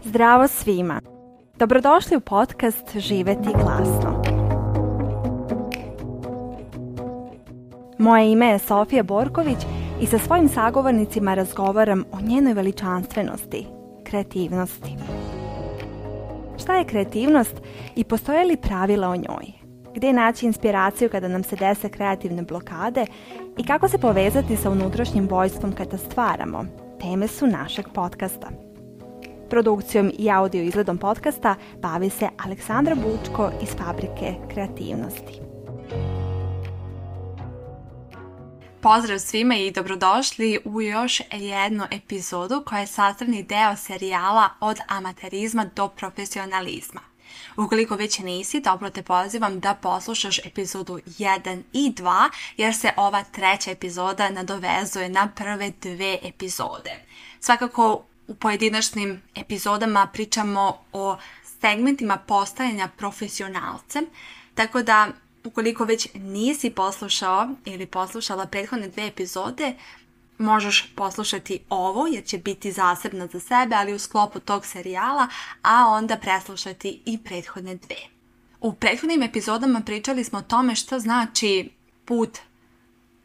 Zdravo svima! Dobrodošli u podcast Živeti glasno. Moje ime je Sofija Borković i sa svojim sagovornicima razgovaram o njenoj veličanstvenosti, kreativnosti. Šta je kreativnost i postoje li pravila o njoj? Gdje naći inspiraciju kada nam se dese kreativne blokade i kako se povezati sa unutrašnjim vojstvom kada stvaramo? Teme su našeg podcasta. Produkcijom i audio izgledom podcasta bavi se Aleksandra Bučko iz Fabrike kreativnosti. Pozdrav svima i dobrodošli u još jednu epizodu koja je sastavni deo serijala Od amaterizma do profesionalizma. Ukoliko već nisi, toplo te pozivam da poslušaš epizodu 1 i 2 jer se ova treća epizoda nadovezuje na prve dve epizode. Svakako u pojedinačnim epizodama pričamo o segmentima postajanja profesionalcem, tako da ukoliko već nisi poslušao ili poslušala prethodne dve epizode, možeš poslušati ovo jer će biti zasebno za sebe, ali u sklopu tog serijala, a onda preslušati i prethodne dve. U prethodnim epizodama pričali smo o tome što znači put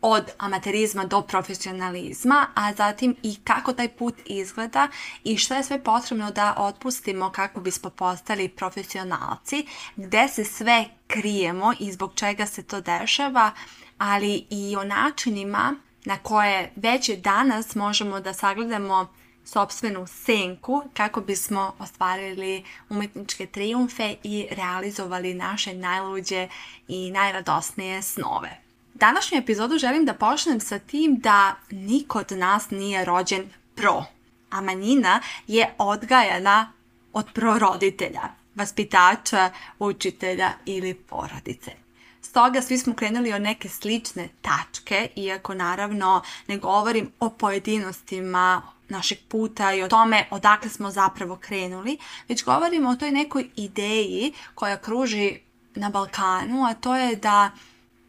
od amaterizma do profesionalizma, a zatim i kako taj put izgleda i što je sve potrebno da otpustimo kako bismo postali profesionalci, gdje se sve krijemo i zbog čega se to dešava, ali i o načinima na koje već danas možemo da sagledamo sopstvenu senku kako bismo ostvarili umjetničke trijumfe i realizovali naše najluđe i najradosnije snove. Današnju epizodu želim da počnem sa tim da niko od nas nije rođen pro, a manjina je odgajana od proroditelja, vaspitača, učitelja ili porodice. Stoga svi smo krenuli od neke slične tačke, iako naravno ne govorim o pojedinostima našeg puta i o tome odakle smo zapravo krenuli, već govorimo o toj nekoj ideji koja kruži na Balkanu, a to je da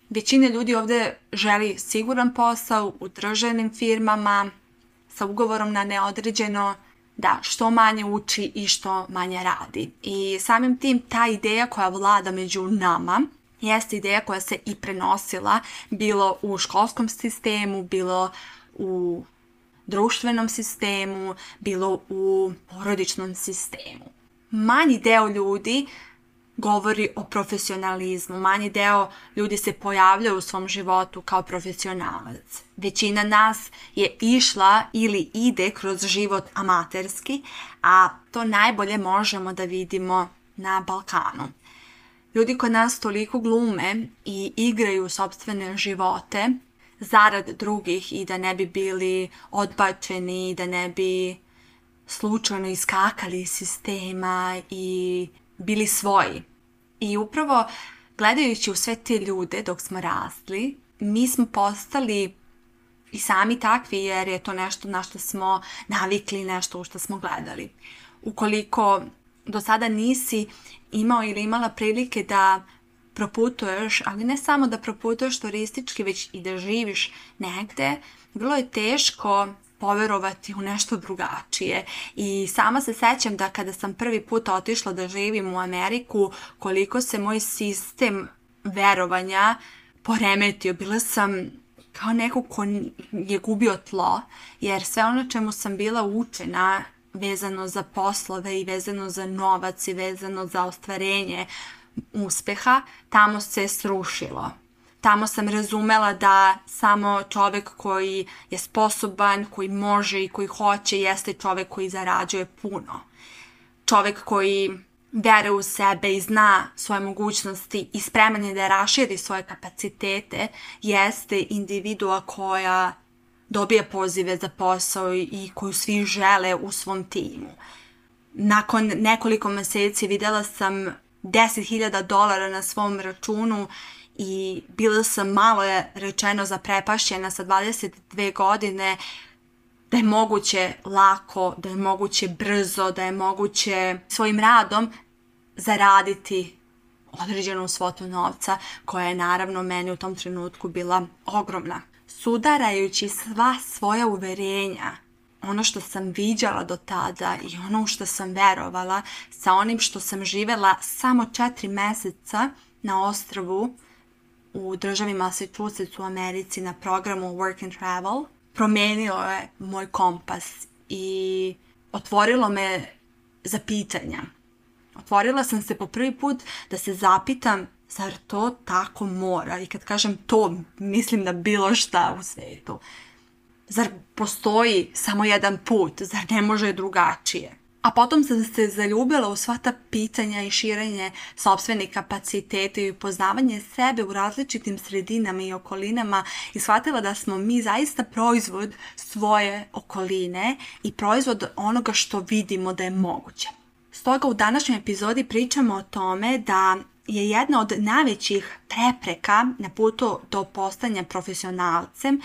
većina ljudi ovdje želi siguran posao u državnim firmama sa ugovorom na neodređeno, da što manje uči i što manje radi. I samim tim ta ideja koja vlada među nama jeste ideja koja se i prenosila bilo u školskom sistemu, bilo u društvenom sistemu, bilo u porodičnom sistemu. Manji deo ljudi govori o profesionalizmu. Manji deo ljudi se pojavljaju u svom životu kao profesionalac. Većina nas je išla ili ide kroz život amaterski, a to najbolje možemo da vidimo na Balkanu. Ljudi kod nas toliko glume i igraju sopstvene živote zarad drugih i da ne bi bili odbačeni, da ne bi slučajno iskakali iz sistema i bili svoji. I upravo gledajući u sve te ljude dok smo rasli, mi smo postali i sami takvi jer je to nešto na što smo navikli, nešto u što smo gledali. Ukoliko do sada nisi imao ili imala prilike da proputuješ, ali ne samo da proputuješ turistički, već i da živiš negde, vrlo je teško poverovati u nešto drugačije. I sama se sećam da kada sam prvi put otišla da živim u Ameriku, koliko se moj sistem verovanja poremetio. Bila sam kao neko ko je gubio tlo, jer sve ono čemu sam bila učena vezano za poslove i vezano za novac i vezano za ostvarenje uspeha, tamo se srušilo. Tamo sam razumela da samo čovjek koji je sposoban, koji može i koji hoće jeste čovjek koji zarađuje puno. Čovjek koji veruje u sebe i zna svoje mogućnosti i spreman je da raširi svoje kapacitete jeste individua koja dobije pozive za posao i koju svi žele u svom timu. Nakon nekoliko mjeseci vidjela sam $10,000 na svom računu i bila sam malo je rečeno zaprepašćena sa 22 godine da je moguće lako, da je moguće brzo, da je moguće svojim radom zaraditi određenu svotu novca koja je naravno meni u tom trenutku bila ogromna. Sudarajući sva svoja uverenja ono što sam viđala do tada i ono u što sam verovala sa onim što sam živjela samo 4 mjeseca na ostrvu u državi Massachusetts u Americi na programu Work and Travel, promijenilo je moj kompas i otvorilo me za pitanja. Otvorila sam se po prvi put da se zapitam zar to tako mora, i kad kažem to mislim na bilo šta u svijetu. Zar postoji samo jedan put, zar ne može drugačije? A potom sam se zaljubila u sva ta pitanja i širenje sopstvenih kapaciteta i upoznavanje sebe u različitim sredinama i okolinama i shvatila da smo mi zaista proizvod svoje okoline i proizvod onoga što vidimo da je moguće. Stoga u današnjoj epizodi pričamo o tome da je jedna od najvećih prepreka na putu do postanja profesionalcem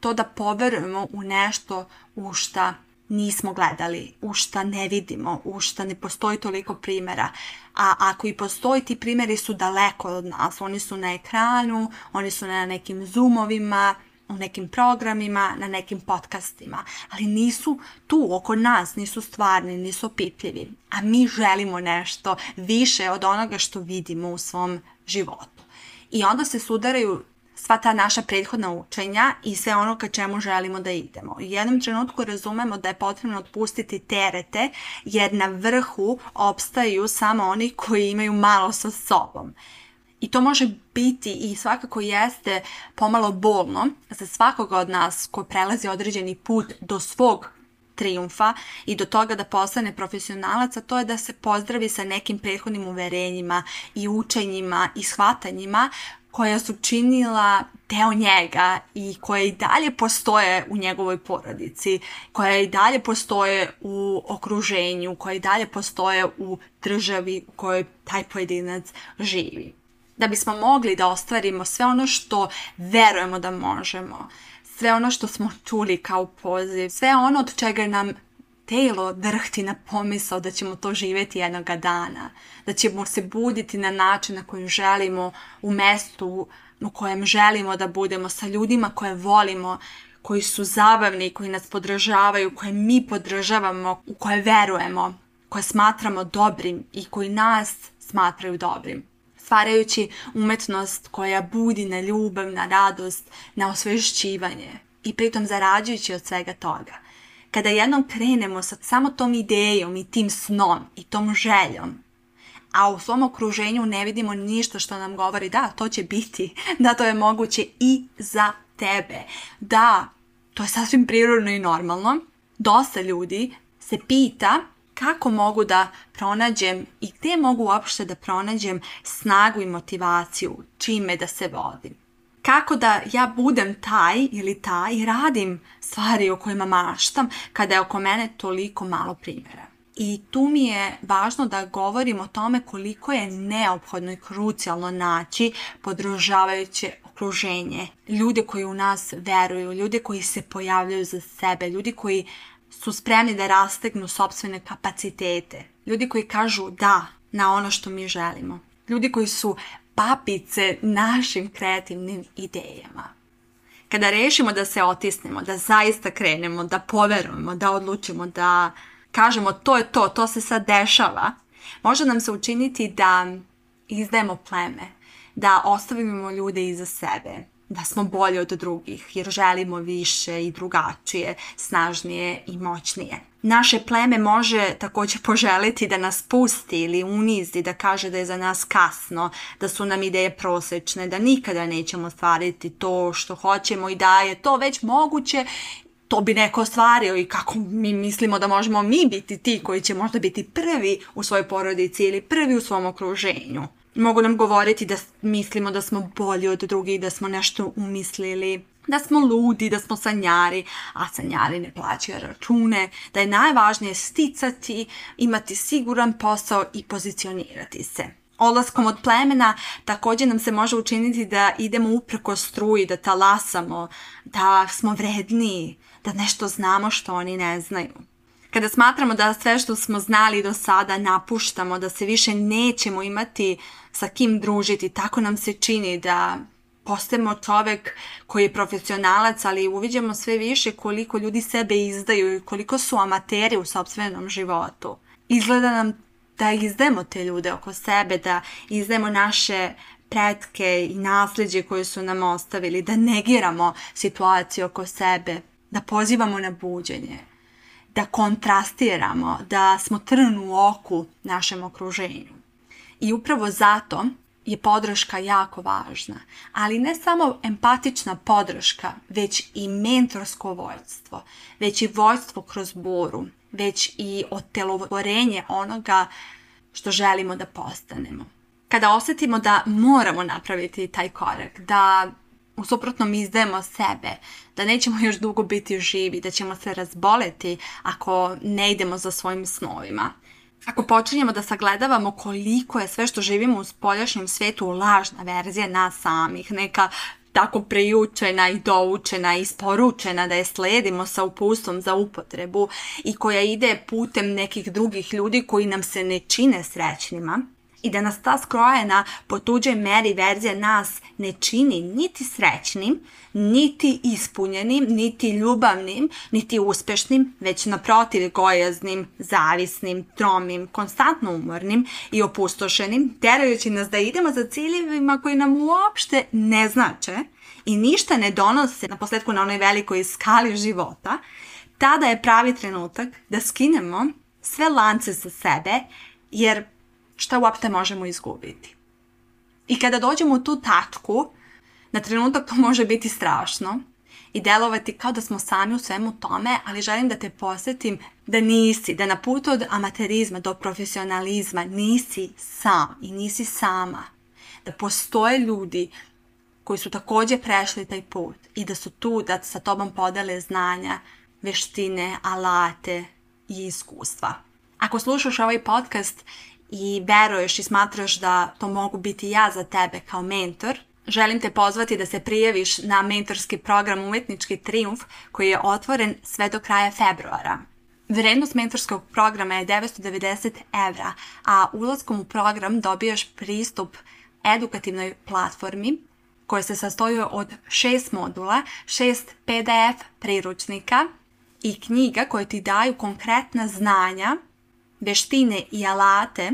to da poverujemo u nešto u šta nismo gledali, u šta ne vidimo, u šta ne postoji toliko primjera. A ako i postoji, ti primjeri su daleko od nas. Oni su na ekranu, oni su na nekim zoomovima, u nekim programima, na nekim podcastima. Ali nisu tu oko nas, nisu stvarni, nisu opipljivi. A mi želimo nešto više od onoga što vidimo u svom životu. I onda se sudaraju sva ta naša prethodna učenja i sve ono ka čemu želimo da idemo. U jednom trenutku razumemo da je potrebno otpustiti terete, jer na vrhu opstaju samo oni koji imaju malo sa sobom. I to može biti i svakako jeste pomalo bolno za svakoga od nas ko prelazi određeni put do svog trijumfa i do toga da postane profesionalac, a to je da se pozdravi sa nekim prethodnim uverenjima i učenjima i shvatanjima koja su činila deo njega i koje i dalje postoje u njegovoj porodici, koje i dalje postoje u okruženju, koje i dalje postoje u državi u kojoj taj pojedinac živi. Da bismo mogli da ostvarimo sve ono što verujemo da možemo, sve ono što smo čuli kao poziv, sve ono od čega nam telo drhti na pomisao da ćemo to živjeti jednoga dana, da ćemo se buditi na način na koji želimo, u mjestu u kojem želimo da budemo, sa ljudima koje volimo, koji su zabavni, koji nas podržavaju, koje mi podržavamo, u koje verujemo, koje smatramo dobrim i koji nas smatraju dobrim. Stvarajući umjetnost koja budi na ljubav, na radost, na osvješćivanje i pritom zarađujući od svega toga. Kada jednom krenemo sa samo tom idejom i tim snom i tom željom, a u svom okruženju ne vidimo ništa što nam govori da, to će biti, da to je moguće i za tebe, da, to je sasvim prirodno i normalno, dosta ljudi se pita kako mogu da pronađem i gdje mogu uopšte da pronađem snagu i motivaciju, čime da se vodim. Kako da ja budem taj ili taj i radim stvari o kojima maštam kada je oko mene toliko malo primjera. I tu mi je važno da govorim o tome koliko je neophodno i krucijalno naći podržavajuće okruženje. Ljude koji u nas veruju, ljude koji se pojavljaju za sebe, ljudi koji su spremni da rastegnu sopstvene kapacitete, ljudi koji kažu da na ono što mi želimo, ljudi koji su papice našim kreativnim idejama. Kada rešimo da se otisnemo, da zaista krenemo, da poverujemo, da odlučimo, da kažemo to je to, to se sad dešava, može nam se učiniti da izdajemo pleme, da ostavimo ljude iza sebe, da smo bolji od drugih jer želimo više i drugačije, snažnije i moćnije. Naše pleme može također poželiti da nas pusti ili unizi, da kaže da je za nas kasno, da su nam ideje prosečne, da nikada nećemo ostvariti to što hoćemo i da je to već moguće, to bi neko ostvario i kako mi mislimo da možemo mi biti ti koji će možda biti prvi u svojoj porodici ili prvi u svom okruženju. Mogu nam govoriti da mislimo da smo bolji od drugih, da smo nešto umislili, da smo ludi, da smo sanjari, a sanjari ne plaćaju račune, da je najvažnije sticati, imati siguran posao i pozicionirati se. Odlaskom od plemena također nam se može učiniti da idemo upreko struji, da talasamo, da smo vredniji, da nešto znamo što oni ne znaju. Kada smatramo da sve što smo znali do sada napuštamo, da se više nećemo imati sa kim družiti, tako nam se čini da postajemo čovek koji je profesionalac, ali uviđamo sve više koliko ljudi sebe izdaju i koliko su amateri u sopstvenom životu. Izgleda nam da izdajemo te ljude oko sebe, da izdajemo naše pretke i nasljeđe koje su nam ostavili, da negiramo situaciju oko sebe, da pozivamo na buđenje, da kontrastiramo, da smo trn u oku našem okruženju. I upravo zato je podrška jako važna, ali ne samo empatična podrška, već i mentorsko vođstvo, već i vođstvo kroz boru, već i otelotvorenje onoga što želimo da postanemo. Kada osjetimo da moramo napraviti taj korak, da u suprotnom izdajemo sebe, da nećemo još dugo biti živi, da ćemo se razboleti ako ne idemo za svojim snovima. Ako počinjemo da sagledavamo koliko je sve što živimo u spoljašnjem svijetu lažna verzija nas samih, neka tako prejučena i doučena i isporučena da je sledimo sa uputstvom za upotrebu i koja ide putem nekih drugih ljudi koji nam se ne čine srećnima, i da nas ta skrojena po tuđoj meri verzija nas ne čini niti srećnim, niti ispunjenim, niti ljubavnim, niti uspešnim, već naprotiv gojaznim, zavisnim, tromim, konstantno umornim i opustošenim, terajući nas da idemo za ciljevima koji nam uopšte ne znače i ništa ne donose naposletku na onoj velikoj skali života, tada je pravi trenutak da skinemo sve lance sa sebe, jer šta uopšte možemo izgubiti. I kada dođemo u tu tačku, na trenutak to može biti strašno i delovati kao da smo sami u svemu tome, ali želim da te podsjetim da nisi, da na putu od amaterizma do profesionalizma nisi sam i nisi sama. Da postoje ljudi koji su također prešli taj put i da su tu da sa tobom podele znanja, veštine, alate i iskustva. Ako slušaš ovaj podcast i veruješ i smatraš da to mogu biti ja za tebe kao mentor, želim te pozvati da se prijaviš na mentorski program Umetnički trijumf koji je otvoren sve do kraja februara. Vrednost mentorskog programa je 990 €, a ulaskom u program dobijaš pristup edukativnoj platformi koja se sastoji od 6 modula, 6 PDF priručnika i knjiga koje ti daju konkretna znanja, veštine i alate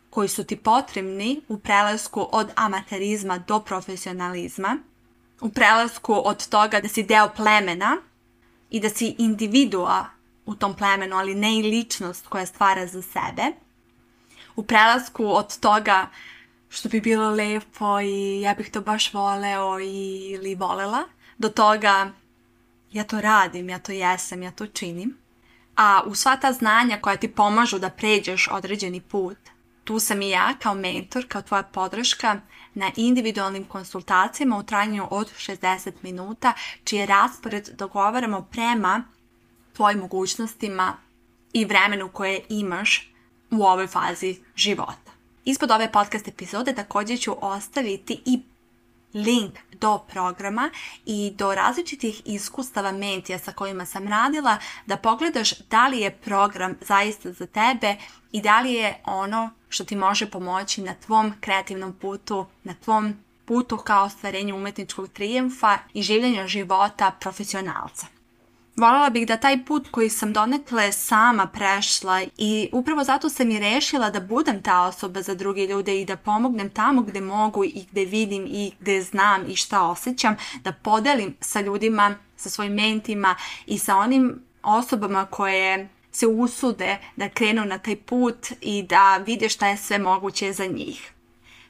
koji su ti potrebni u prelasku od amaterizma do profesionalizma, u prelasku od toga da si deo plemena i da si individua u tom plemenu, ali ne i ličnost koja stvara za sebe, u prelasku od toga što bi bilo lepo i ja bih to baš voleo ili volela, do toga ja to radim, ja to jesam, ja to činim. A u sva ta znanja koja ti pomažu da pređeš određeni put, tu sam i ja kao mentor, kao tvoja podrška na individualnim konsultacijama u trajanju od 60 minuta, čiji raspored dogovaramo prema tvojim mogućnostima i vremenu koje imaš u ovoj fazi života. Ispod ove podcast epizode također ću ostaviti i link do programa i do različitih iskustava mentija sa kojima sam radila, da pogledaš da li je program zaista za tebe i da li je ono što ti može pomoći na tvom kreativnom putu, na tvom putu ka ostvarenju umetničkog trijumfa i življenja života profesionalca. Voljela bih da taj put koji sam donekle sama prešla i upravo zato sam i rešila da budem ta osoba za druge ljude i da pomognem tamo gde mogu i gde vidim i gde znam i šta osjećam, da podelim sa ljudima, sa svojim mentima i sa onim osobama koje se usude da krenu na taj put i da vide šta je sve moguće za njih.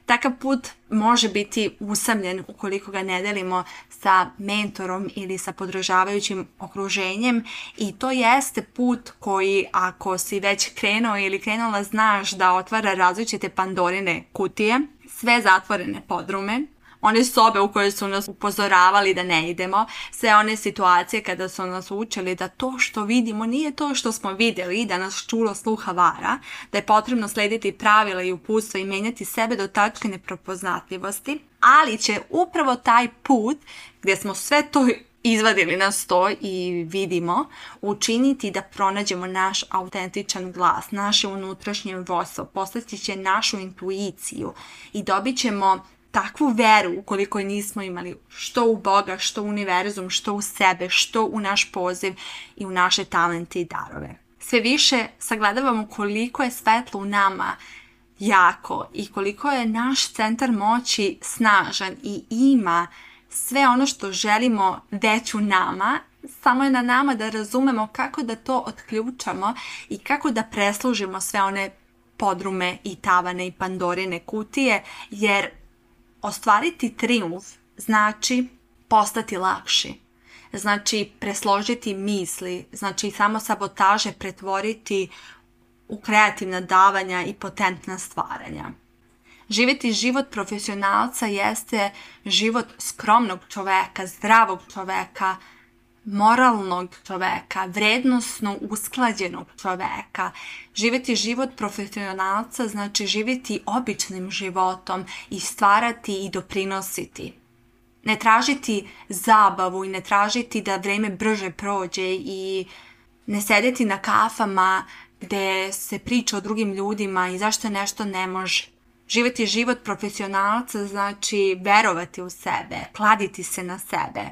Takav put može biti usamljen ukoliko ga ne delimo sa mentorom ili sa podržavajućim okruženjem i to jeste put koji, ako si već krenuo ili krenula, znaš da otvara različite Pandorine kutije, sve zatvorene podrume, one sobe u koje su nas upozoravali da ne idemo, sve one situacije kada su nas učili da to što vidimo nije to što smo vidjeli, da nas čulo sluha vara, da je potrebno slediti pravila i uputstva i menjati sebe do tačke neprepoznatljivosti, ali će upravo taj put gdje smo sve to izvadili na sto i vidimo, učiniti da pronađemo naš autentičan glas, naše unutrašnje vođstvo, postići će našu intuiciju i dobit ćemo takvu veru, ukoliko je nismo imali, što u Boga, što u univerzum, što u sebe, što u naš poziv i u naše talente i darove. Sve više sagledavamo koliko je svetlo u nama jako i koliko je naš centar moći snažan i ima sve ono što želimo već u nama, samo je na nama da razumemo kako da to otključamo i kako da preslužimo sve one podrume i tavane i Pandorine kutije, jer ostvariti trijumf znači postati lakši, znači presložiti misli, znači samo sabotaže pretvoriti u kreativna davanja i potentna stvaranja. Živjeti život profesionalca jeste život skromnog čoveka, zdravog čoveka, moralnog čoveka, vrednosno usklađenog čoveka. Živjeti život profesionalca znači živjeti običnim životom i stvarati i doprinositi. Ne tražiti zabavu i ne tražiti da vreme brže prođe i ne sedeti na kafama gdje se priča o drugim ljudima i zašto nešto ne može. Živjeti život profesionalca znači verovati u sebe, kladiti se na sebe,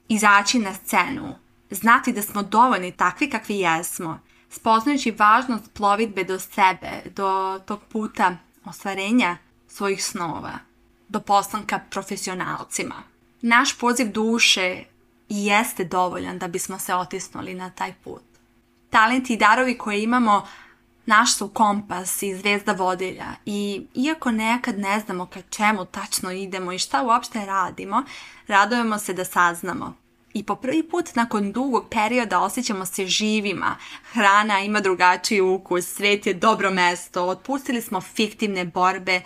izaći na scenu, znati da smo dovoljni takvi kakvi jesmo, spoznajući važnost plovidbe do sebe, do tog puta ostvarenja svojih snova, do postanka profesionalcima. Naš poziv duše i jeste dovoljan da bismo se otisnuli na taj put. Talenti i darovi koje imamo naš su kompas i zvezda vodilja i iako nekad ne znamo ka čemu tačno idemo i šta uopšte radimo, radujemo se da saznamo. I po prvi put nakon dugog perioda osjećamo se živima, hrana ima drugačiji ukus, svet je dobro mesto, otpustili smo fiktivne borbe,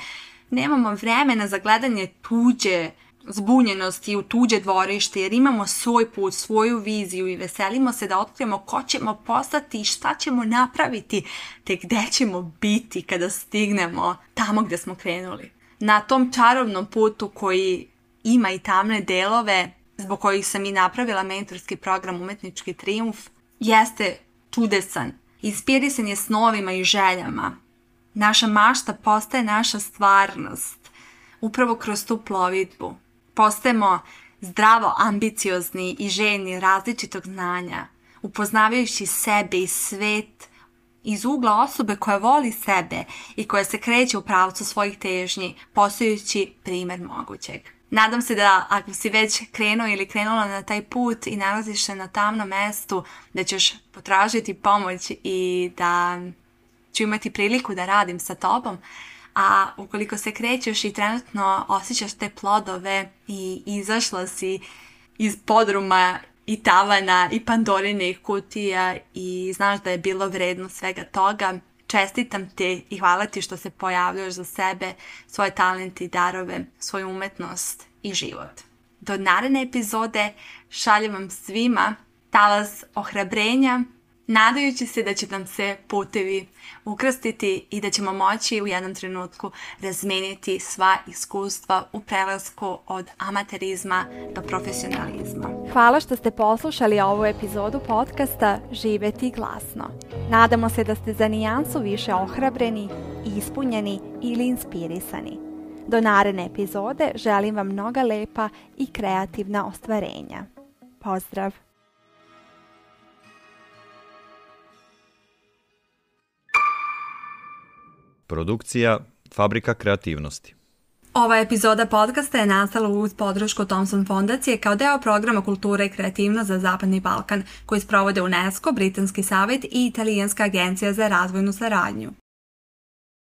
nemamo vremena za gledanje tuđe zbunjenosti u tuđe dvorište jer imamo svoj put, svoju viziju i veselimo se da otkrijemo ko ćemo postati i šta ćemo napraviti te gde ćemo biti kada stignemo tamo gdje smo krenuli. Na tom čarobnom putu koji ima i tamne delove zbog kojih sam i napravila mentorski program Umetnički trijumf jeste čudesan, inspirisan je snovima i željama. Naša mašta postaje naša stvarnost upravo kroz tu plovidbu. Postajemo zdravo ambiciozni i željni različitog znanja, upoznavajući sebe i svet iz ugla osobe koja voli sebe i koja se kreće u pravcu svojih težnji, postajući primjer mogućeg. Nadam se da ako si već krenuo ili krenula na taj put i nalaziš se na tamnom mestu, da ćeš potražiti pomoć i da ću imati priliku da radim sa tobom. A ukoliko se krećeš i trenutno osjećaš te plodove i izašla si iz podruma i tavana i Pandorinih kutija i znaš da je bilo vredno svega toga, čestitam te i hvala ti što se pojavljaš za sebe, svoje talente i darove, svoju umetnost i život. Do naredne epizode šaljem vam svima talas ohrabrenja, nadajući se da će nam se putevi ukrstiti i da ćemo moći u jednom trenutku razmeniti sva iskustva u prelasku od amaterizma do profesionalizma. Hvala što ste poslušali ovu epizodu podcasta Živeti glasno. Nadamo se da ste za nijansu više ohrabreni, ispunjeni ili inspirisani. Do naredne epizode želim vam mnoga lepa i kreativna ostvarenja. Pozdrav! Produkcija Fabrika kreativnosti. Ova epizoda podcasta je nastala uz podršku Thomson fondacije kao deo programa Kultura i kreativnost za Zapadni Balkan koji sprovode UNESCO, Britanski savjet i Italijanska agencija za razvojnu saradnju.